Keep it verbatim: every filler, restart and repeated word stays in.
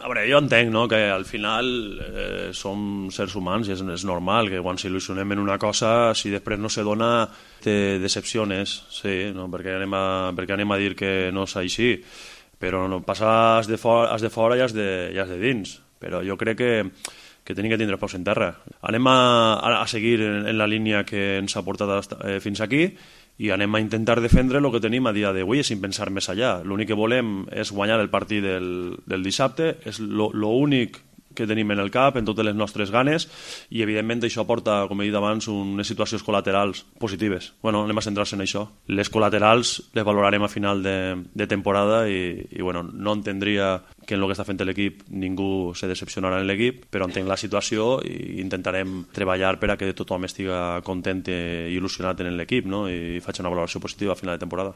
A veure, jo entenc, no?, que al final eh, som sers humans i és, és normal que quan s'il·lusionem en una cosa, si després no se dona, te decepciones, sí, no? perquè, anem a, perquè anem a dir que no és així, però no, passar has de, fora, has de fora i has de, i has de dins, però jo crec que, que tenim que tindre peus en terra. Anem a, a seguir en, en la línia que ens ha portat eh, fins aquí, i anem a intentar defendre el que tenim a dia d'avui sin pensar més allà. L'únic que volem és guanyar el partit del, del dissabte, és l'únic que tenim en el cap, en totes les nostres ganes, i evidentment això porta, com he dit abans, unes situacions col·laterals positives. Bueno, anem a centrar-se en això. Les col·laterals les valorarem a final de, de temporada i, i bueno, no entendria que en el que està fent l'equip ningú se decepcionarà en l'equip, però entenc la situació i intentarem treballar per a que tothom estiga content i il·lusionat en l'equip, no? I faig una valoració positiva a final de temporada.